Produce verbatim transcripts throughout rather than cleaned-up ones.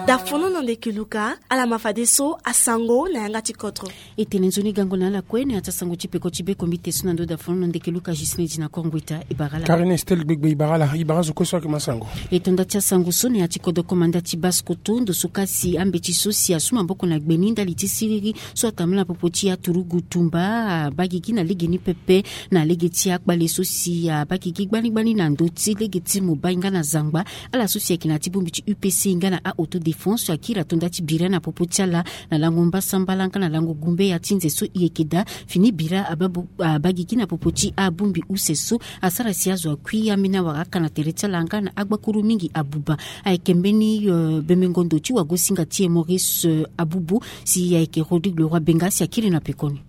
Dafono na ndeke luka, ala ma fadeso asango na yanga ti kodro. E tene nzoni gango na ala kue na ya ti asango ti peko ti bekombite so na ndo dafono na ndeke luka Justin Dina Kongwita. E bara ala. Karine Estelle Gbegbe, e bara ala. E bara zo kue so ayeke ma sango. E tonda ti asango so na ya ti kodro komanda ti Basse-Kotto, ndo so ka si ambeti so si asu maboko na gbe ni ndali ti siriri so atambula na popo ti aturugu tumba abagigi na lege ni pepe, na lege ti akpale so si abagigi gbani gbani na ndö ti lege ti Mobai nga na Zangba. Ala so si ayeke na ya ti bongbi ti U P C nga na a-autodéfense akiri atonda ti bira na popo ti ala na lango mbasambala nga na lango gumbe ya ti nze so e yeke daa. Fini bira ababo- abagigi na popo ti abongbi use so asara si azo akui ambeni awara aka na tere ti ala nga na agbakuru mingi abuba. Ayeke mbeni, euh, bemengo ndo ti wagosinga ti e Maurice, euh, Abubu, si ayeke Rodrigue Leroy Benga si akiri na pekoni.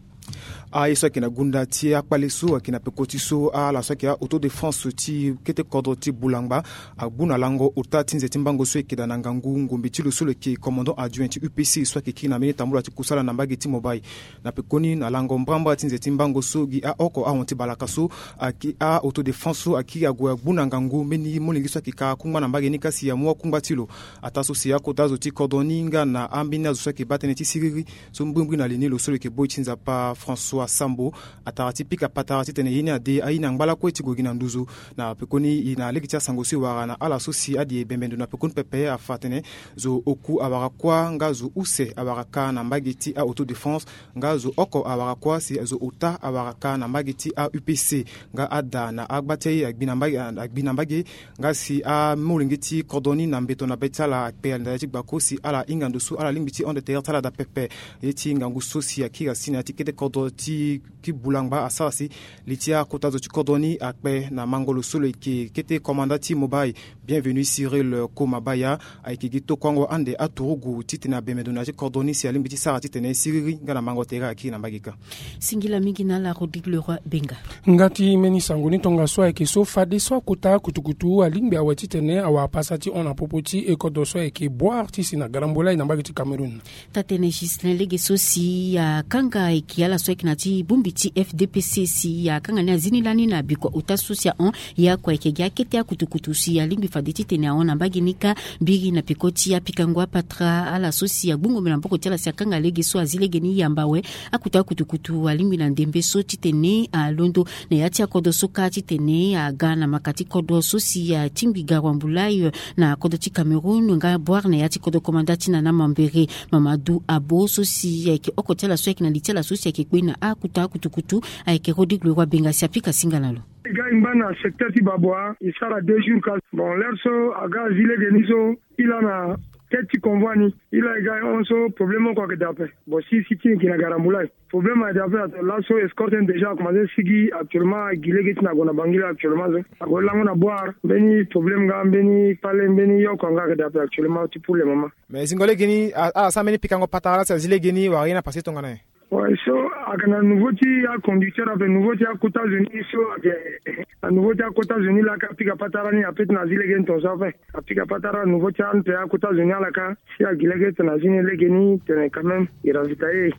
Aye so ayeke na gunda ti akpale so ayeke na peko ti so, ala so ayeke a-autodéfense ti kete kodro ti Bulangba agbu na lango ota ti nze ti mbango so ayeke daa na ngangu ngombe ti lo so lo yeke commandant adjoint ti U P C so ayeke kiri na mbeni tambula ti kusala na mbage ti Mobai. Na pekoni na lango mbrambra ti nze ti mbango so gi aoko ahon ti balaka so aki a-autodéfense so akiri ague agbu na ngangu mbeni molenge so ayeke ka kungba na mbage ni ka si amu akungba ti lo. Ataa so si akota zo ti kodro ni nga na ambeni azo so ayeke baa tënë ti siriri so mbrimbri na li ni lo so lo yeke boi ti nzapa François Sambo atara ti pika patara titene ye ni ade aye ni angba lakue ti gue gi na nduzu. Na pekoni e na lege ti asango so e wara na ala so si adi e bembe ndo na pekoni pepe afa atene zo oku awara kuâ nga zo use awara ka na mbage ti a-autodéfense nga zo oko awara kuâ si zo ota awara ka na mbage ti a-U P C nga ada na agba ti aye agbi na mbage, agbi na mbage. Nga si amolenge ti kodro ni na mbeto na be ti ala akpe na ndali ti gbako si ala hinga ndo so ala lingbi ti hon de terre ti ala daa pepe. Ye ti ngangu so si akiri asi na ya ti kete kodro ti, ti Bulangba asara si li ti akota zo ti kodro ni akpe na mango lo so lo yeke kete komanda ti Mobai, Bienvenu Cyril Komabaya, ayeke gi tokuango ande aturugu titene abembe ndo na ya ti kodro ni si alingbi ti sara titene siriri nga na mango tere akiri na mbage kâ. Singila mingi na ala Rodrigue Leroy Benga. Nga ti mbeni sango ni tongaso ayeke so fadeso akota kutukutu alingbi awe titene awara pasa ti hon na popo ti e kodro so ayeke Bouar ti si na Garambola na mbage ti Cameroun. Taa-tënë Ghislain, lege so si akanga ayeke ala so ayeke na ya ti bongbi ti F D P C si akanga ni azi ni lani na bikua ota so si ahon. Ye oko ayeke gi akete akutukutu si alingbi fade titene ahon na mbage ni kâ. Mbiri na peko ti apikango apatara ala so si agbu ngombe na maboko ti ala si akanga lege so azi lege ni yamba awe. Akuta akutukutu alingbi na ndembe so titene alondo na ya ti akodro so kâ titene aga na maka ti kodro so si atingbi garua mbulayi na kodro ti Cameroun nga Bouar na ya ti kodro komanda ti Nana Mambere. Mamadou Abo so si ayeke oko ti ala so ayeke na li ti ala so si ayeke kpe na akuta akutukutu ayeke Rodrigue Leroy Benga si apika singa na lo. E ga e ngba na secteur ti Baboa, e sara deux jours kâ. Bon, l'heure so aga azi lege ni so, e laa na tête ti convoi ni, e laa e ga e hon so problème oko ayeke daa ape. Bon, si si ti e yeke na Garambula, problème ayeke daa ape. Laso escorte ni déjà akomanse sigi actuellement, agi lege ti na ague na Bangui la actuellement so. Ague lango na Bouar, mbeni problème nga, mbeni kpale, mbeni yoko nga ayeke daa ape actuellement ti pour le moment. Mais zingo lege ni, a, ala sara mbeni pikango patara la si azi lege ni wala ye ni apase tongana nyen? Ouais, so ayeke na nouveau ti aconducteur ape, nouveau ti akota zo ni so ayeke na nouveau ti akota zo ni laa ka apika patara ni ape ti na azi lege ni tongaso ape. Apika patara nouveau ti ante akota zo ni ala ka si agi lege ti na azi ni lege ni tene quand même e ravitailler.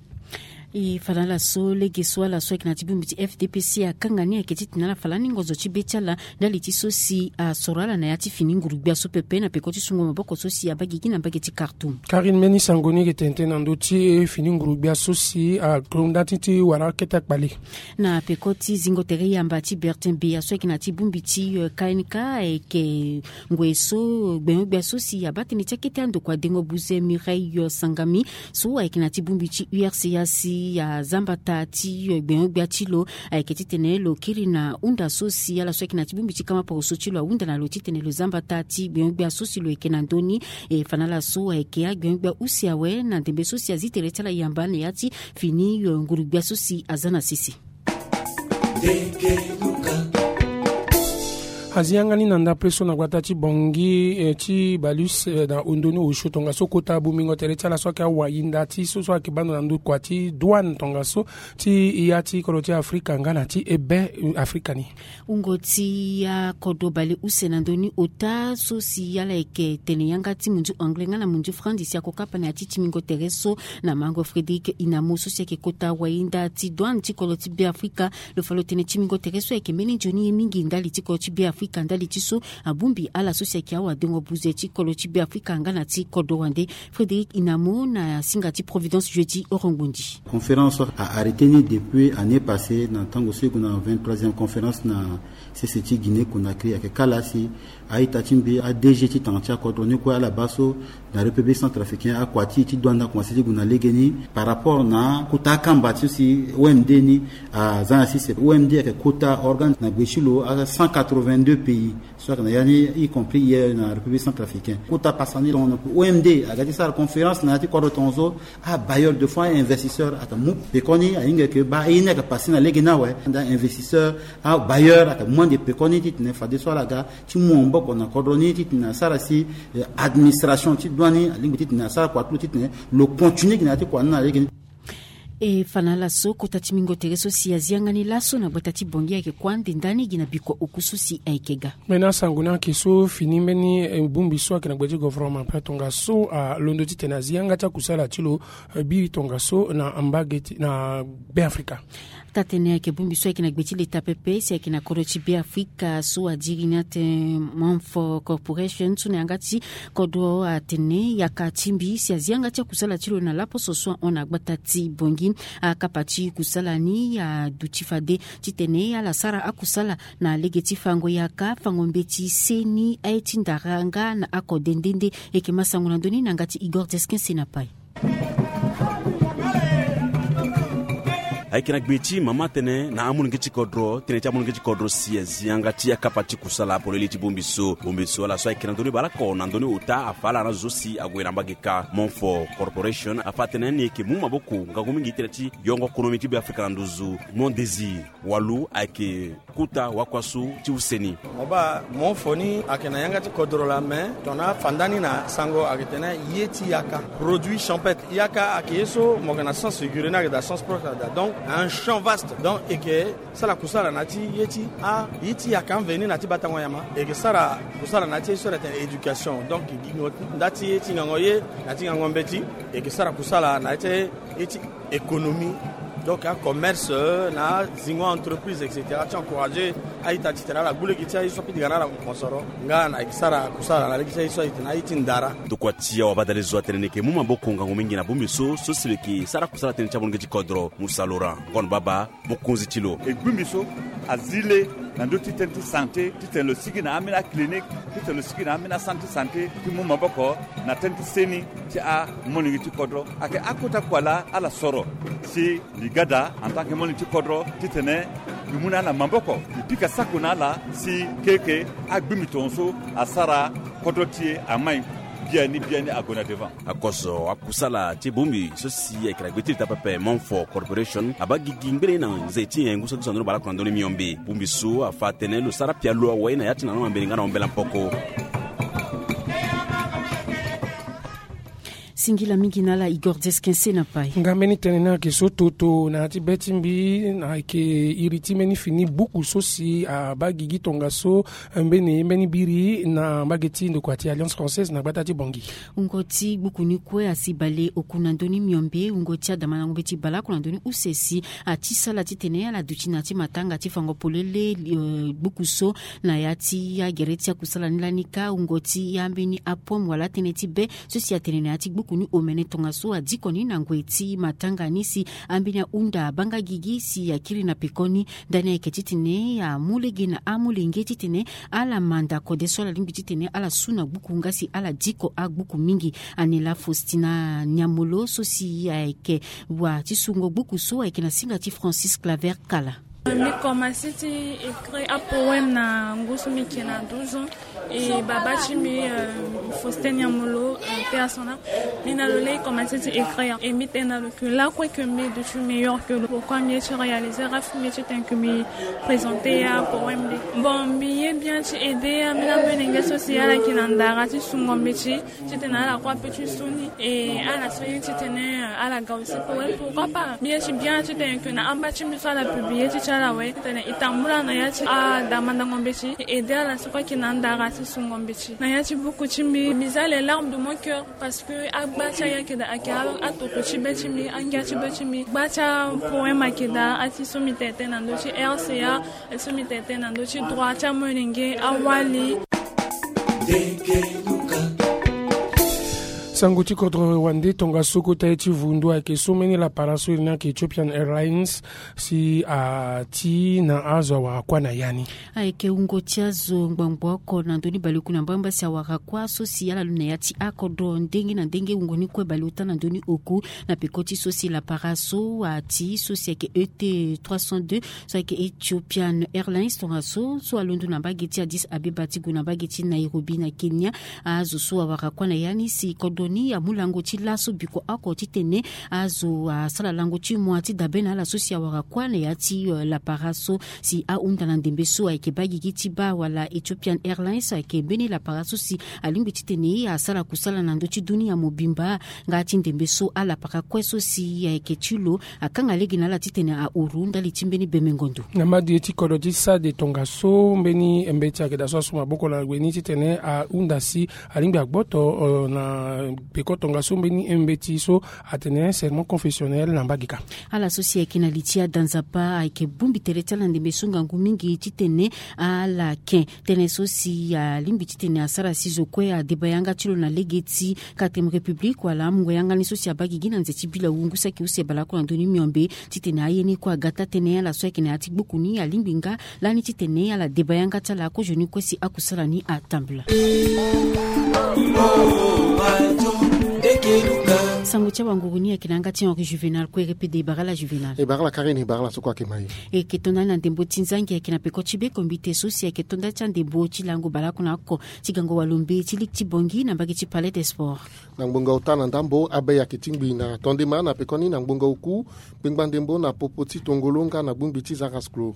E fa na ala so lege so ala so ayeke na ya ti bongbi ti F D P C akanga ni ayeke titene ala fa lani ngonzo ti be ti ala ndali ti so si asoro ala na ya ti fini nguru-gbia so pepe na peko ti sungo maboko so si abaa gigi na mbage ti Khartoum. Karine, mbeni sango ni ayeke tene tënë na ndö ti fini nguru-gbia so si akonda ti ti wara akete akpale. Na peko ti zingo tere yamba ti Bertin Beya so ayeke na ya ti bongbi ti, euh, K N K ayeke ngoi so gbenyo-gbia so si abaa tënë ti akete andokua dengo buze Mireille, euh, Sangami so ayeke na ya ti bongbi ti U R C A si azambata ti, euh, gbenyo-gbia ti lo. Ayeke titene lo kiri na hunda so si ala so ayeke na ya ti bongbi ti kama poroso ti lo ahunda na lo titene lo zambata ti gbenyo-gbia so si lo yeke na ndö ni. E fa na ala so ayeke agbenyo-gbia use awe na ndembe so si azi tere ti ala yamba na ya ti fini, euh, nguru-gbia so si aza na sese. Azi yanga ni na ndapre so na gbata ti Bangui, eh, ti Balus, eh, na ondo ni osio tongaso kota bongbingo tere ti ala so ayeke awayinda ti so so ayeke baa ndo na ndokua ti douane tongaso ti ya ti kodro ti Afrika nga na ti ebe, eh, Afrika ni. Wungo ti akodro bale use na ndö ni ota so si ala yeke tene yanga ti munzu anglais nga na munzu franzi si akokapa na ya ti timbingo tere so na mango Frédéric Inamo so si ayeke kota wayinda ti douane ti kodro ti Beafrika. Lo fa lo tene timbingo tere so ayeke mbeni nzoni ye mingi ndali ti kodro ti Beafrika. Afrika ndali ti so abongbi ala so si ayeke awadengo buze ti kolo ti Beafrika nga na ti kodro wande. Frédéric Inamo na singa ti Providence Jeudi Orongbongi. Conférence a arrêté ni depuis année passée na tango so e gue na vingt-troisième conférence na sese ti Guinée Conakry. Ayeke kala si a-ita ti mbi, a-DG ti tanga ti akodro ni kue ala baa so na République centrafricaine akua ti e ti douane akomanse ti gue na lege ni par rapport na kota akamba ti si O M D ni aza na sese. O M D ayeke kota organe na gbe ti lo aza cent quatre-vingt-deux pays so ayeke na ya ni, y compris hier na République centrafricaine. Kota pasa ni tongo na O M D aga ti sara conférence na ya ti kodro tongaso. Ah, bailleur de fonds, investisseur, ata mu pekoni, ahinga ke ba ini aka pasi na lege na we, nda investisseur, ah, bailleur, aka mu ande pekoni, titene fadeso ala ga ti mu maboko na kodro ni, titene asara si, eh, administration ti douane ni alingbi titene asara kua ti lo, titene lo continue gi na ya ti kua ni na lege ni. E fa na ala so kota ti mingo tere so si azi yanga ni laso na gbata ti Bangui ayeke kua nde ndani gi na bikua oku so si ayeke ga. Mbeni asango ni ayeke so fini mbeni, eh, bongbi so ayeke na gbe ti gouvernement ape tongaso alondo titene azi yanga ti akusala ti lo, eh, biri tongaso na mbage ti na Beafrika. Taa-tënë ayeke bongbi so ayeke na gbe ti leta pepe si ayeke na kodro ti Beafrika so adiri ni ate Manfo Corporation so na yanga ti kodro atene yaka ti mbi si azi yanga ti akusala ti lo na laposo so ahon na gbata ti Bangui. Akapa ti kusala ni aduti fade titene ala sara akusala na lege ti fango yaka, fango mbeti, seni, aye ti ndara nga na akode nde nde. Eke ma sango na ndö ni na yanga ti Igor Desquin Senapai. Ayeke na gbe ti mama tënë na amolenge ti kodro, tënë ti amolenge ti kodro si azi yanga ti akapa ti kusala polele ti bongbi so. Bongbi so ala so ayeke na ndö ni baleoko na ndö ni ota afa ala na zo si ague na mbage ka. Manfo Corporation afa atene ni eke mu maboko ngangu mingi tënë ti yongo konomi ti Beafrika na nduzu. Mon Désir Walu ayeke kota wakua so ti use ni. Mo baa, Manfo ni ayeke na yanga ti kodro laa, me tongana afa ndani na sango ayeke tene ye ti yaka, produit champêtre. Yaka ayeke ye so mo yeke na sens figuré ni ayeke daa sens propre daa. Donc un champ vaste. Donc eke sara kusala na ya ti ye ti a, ye ti yaka mveni na ya ti batango nyama. Eke sara kusala na ya ti ye so ala tene éducation. Donc gi nda ti ye ti ngango ye, na ya ti ngango mbeti. Eke sara kusala na ya ti ye ti économie, donc acommerce, na azingo entreprise, et cetera, ti encourager a-ita titene ala gbu lege ti aye so apitikana ala mosoro nga na eke sara kusala na lege ti aye so aye titene aye ti ndara. Ndokua ti awabadale zo atene ni eke mu maboko ngangu mingi na bongbi so, so si lo eke sara kusala tënë ti amolenge ti kodro. Musa Laurent Ngon Baba, mokonzi ti lo. E gbu mbi so azi le na ndö ti tënë ti santé, titene lo sigi na ambeni aclinique, titene lo sigi na ambeni acentre ti santé, ti mu maboko na tënë ti seni ti amolenge ti kodro. Ayeke akota kua laa ala soro si mbi ga daa en tant que molenge ti kodro titene mbi mu na ala maboko, mbi pika sako na ala si keke agbi mbi tongaso asara kodro ti e amai biani biani ague na devant. Akoso akusala ti bongbi so si ayeke na gbe ti leta pepe, Manfo Corporation, abaa gigi ngbene na nze ti nyen ngu so ti so na ndö ni baleoko na ndö ni miombe. Bongbi so afa atene lo sara pialo awe na ya ti na lo na mbeni nga na ombela mpoko. Singila mingi na ala Igor Desquin Senapai. Nga mbeni tënë ni ayeke so toto na ya ti be ti mbi, na ayeke iri ti mbeni fini buku so si abaa gigi tongaso mbeni mbeni biri na mbage ti ndokua ti Alliance Française na gbata ti Bangui. Wungo ti gbuku ni kue asi bale oku na ndö ni miombe, wungo ti adamandango mbeti baleoko na ndö ni use si ati sala titene ala duti na ya ti matanga ti fango polele, eh, gbuku so na ya ti agere ti akusala ni lani kâ, wungo ti ambeni apomme wala atënë ti be so si atene na ya ti gbuku ni omene tongaso adiko ni na ngoi ti matanga ni si ambeni ahunda abaa nga gigi si akiri na pekoni. Ndani ayeke titene amu lege na amolenge titene ala manda kode so ala lingbi titene ala su na gbuku nga si ala diko agbuku mingi. Anela Faustina Niamolo so si ayeke wa ti sungo gbuku so ayeke na singa ti Francis Claver Kala. Mbi komanse ti écrire apoème na ngu so mbi yeke na douze ans. E babâ ti mbi, euh, Faustin Niamolo, euh, paix à son âme, mbi na lo laa e komanse ti écrire. E mbi tene na lo que lakue que mbi ye duti meilleur que lo. Pourquoi mbi ye ti réaliser rêve mbi ye ti tene que mbi présenter apoème ni. Bon, mbi ye bien ti aider ambeni amolenge so si ala yeke na ndara ti sungo mbeti titene ala kue ape ti su ni. E ala so ye titene, euh, ala ga aussi poème, pourquoi pas. Mbi ye ti bien titene que na amba ti mbi so ala publier ti ti Ala we titene e tambula na ya ti adamandango mbeti, e aidé ala so kue ayeke na andara ti sungo mbeti. Na ya ti buku ti mbi, mbi za les larmes de mon cœur, parce que agba ti ayakeda ayeke atoto ti be ti mbi, angia ti be ti mbi. Gba ti apoème ayeke daa, ati so mbi tene tënë na ndö ti R C A, ati so mbi tene tënë na ndö ti droit ti amolenge, awali. Sango ti kodro wande tongaso kota ye ti vundu ayeke so mbeni lapara so iri ni ayeke Ethiopian Airlines si ati na azo awara kuâ na ya ni. Ayeke wungo ti azo ngbangbo oko na ndö ni baleoku na mbamba si awara kuâ so si ala lu na ya ti akodro ndenge na ndenge, wungo ni kue baleota na ndö ni oku na peko ti so si lapara so ati so si ayeke E T trois cent deux so ayeke Ethiopian Airlines tongaso so alondo na mbage ti Addis Abeba ti gue na mbage ti Nairobi na Kenya. Azo so awara kuâ na ya ni si kodro ni amu lango ti laso biko oko titene azo asara lango ti mo ti dabe na ala so si awara kuâ na ya ti, eh, lapara so si ahunda na ndembe so ayeke baa gigi ti baa wala Ethiopian Airlines ayeke mbeni lapara so si alingbi titene asara kusala na ndö ti dunia mobimba. Nga ti ndembe so alapara kue so si ayeke ti lo akanga lege na ala titene ahuru ndali ti mbeni beme ngondo. Na madi ye ti kodro ti SAD tongaso mbeni mbeti ayeke daa so asu maboko na gue ni titene ahunda si alingbi agboto, eh, na peko tongaso mbeni mbeti so atene serment confessionnel na mbage kâ. Ala so si ayeke na li ti ada nzapa ayeke bongbi tere ti ala na ndembe so ngangu mingi titene ala ken tënë so si alingbi titene asara si zo kue adeba yanga ti lo na lege ti quatrième république wala amungo yanga ni so si abaa gigi na nze ti bila wungu saki use baleoko na ndö ni miombe titene aye ni kue aga taa tënë. Ala so ayeke na ya ti gbuku ni alingbi nga lani titene ala deba yanga ti ala kozoni kue si akusala ni atambula. Sango ti awanguru ni ayeke na yanga ti Henri Juvenal kue repede. E bara ala Juvenal. E bara ala Karine, e bara ala so kue ayeke ma e. E yeke to ndani na ndembo ti nzangi ayeke na peko ti be kombite so si ayeke to ndani ti andembo ti lango baleoko na oko ti gango walombe ti ligue ti Bangui na mbage ti Palais des Sports. Na ngbonga ota na ndambo abe ayeke tingbi na tondema na pekoni na ngbonga oku kpengba ndembo na popo ti tongolo nga na bongbi ti zarasklo.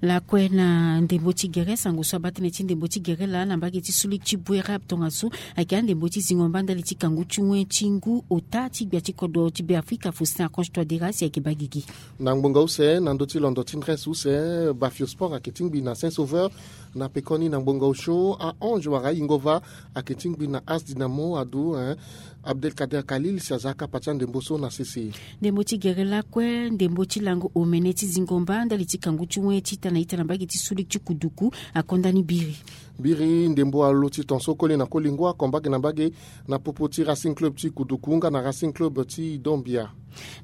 Lakue na ndembo ti gere, sango so abaa tënë ti ndembo ti gere laa na mbage ti sulik ti Bouérab tongaso ayeke andembo ti zingo mba ndali ti kangu ti wen ti ngu ota ti gbia ti kodro ti Beafrika Faustin Archange Touadéra si ayeke baa gigi. Na ngbonga use na ndö ti londo ti ndresse use, Bafio Sport ayeke tingbi na Saint Sauveur. Na pekoni na ngbonga osio, Ange wala Ingova ayeke tingbi na As Dynamo adu, eh, Abdelkader Khalil si aza kapa ti andembo so na sese. Ndembo ti gere lakue, ndembo ti lango omene ti zingo mba ndali ti kangu ti wen ti ita na ita na mbage ti sulik ti kuduku akonda ni biri. Biri ndembo alo ti tonso koli na koli ngu oko mbage na mbage na popo ti Racing Club ti kuduku nga na Racing Club ti Dombia.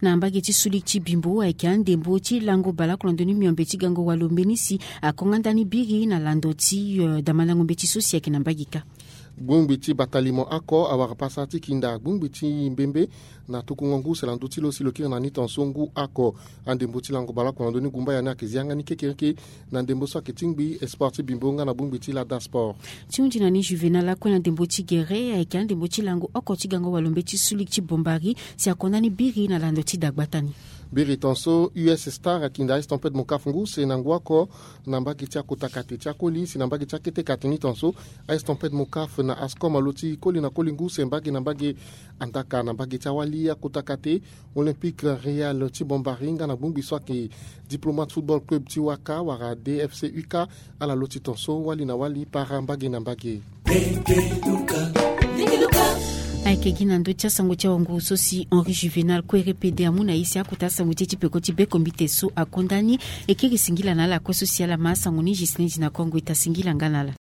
Na mbage ti sulik ti bimbo ayeke andembo ti lango baleoko na ndö ni miombe ti gango walo mbeni si akonga ndani biri na lando ti, eh, damandango mbeti so si ayeke na mbage kâ. Gbongbi ti batalimo oko awara pasa ti kinda gbongbi ti mbembe na tukungo ngu se na ndö ti lo si lo kiri na ni tonso ngu oko. Andembo ti lango baleoko na ndö ni gumbaya ni ayeke zi yanga ni kekereke na ndembo so ayeke tingbi sport ti bimbo nga na bongbi ti lada sport. Ti hunzi na ni Juvenal akue na ndembo ti gere ayeke andembo ti lango oko ti gango walo mbeti sulik ti Bombari si akonda ni biri na lando ti dagbata ni. Biri tonso U S Star akinda A S Tempête Mokaf ngu se na ngu oko na mbage ti akota kate ti akoli si na mbage ti akete kate ni tonso A S Tempête Mokaf na Ascom alo ti koli na koli ngu se mbage na mbage. Andaka na mbage ti awali akota kate Olympique Real ti Bombari nga na bongbi so ayeke Diplomate Football Club ti Waka wala D F C U K, ala lo ti tonso wali na wali para mbage na mbage. Ayeke gi na ndö ti asango ti awanguru so si Henri Juvenal kue repede amu na ye si akota asango ti e ti peko ti bekombite so akonda ni. E kiri singila na ala kue so si ala ma asango ni. Gislin Dina Kongo, e ta singila nga na ala.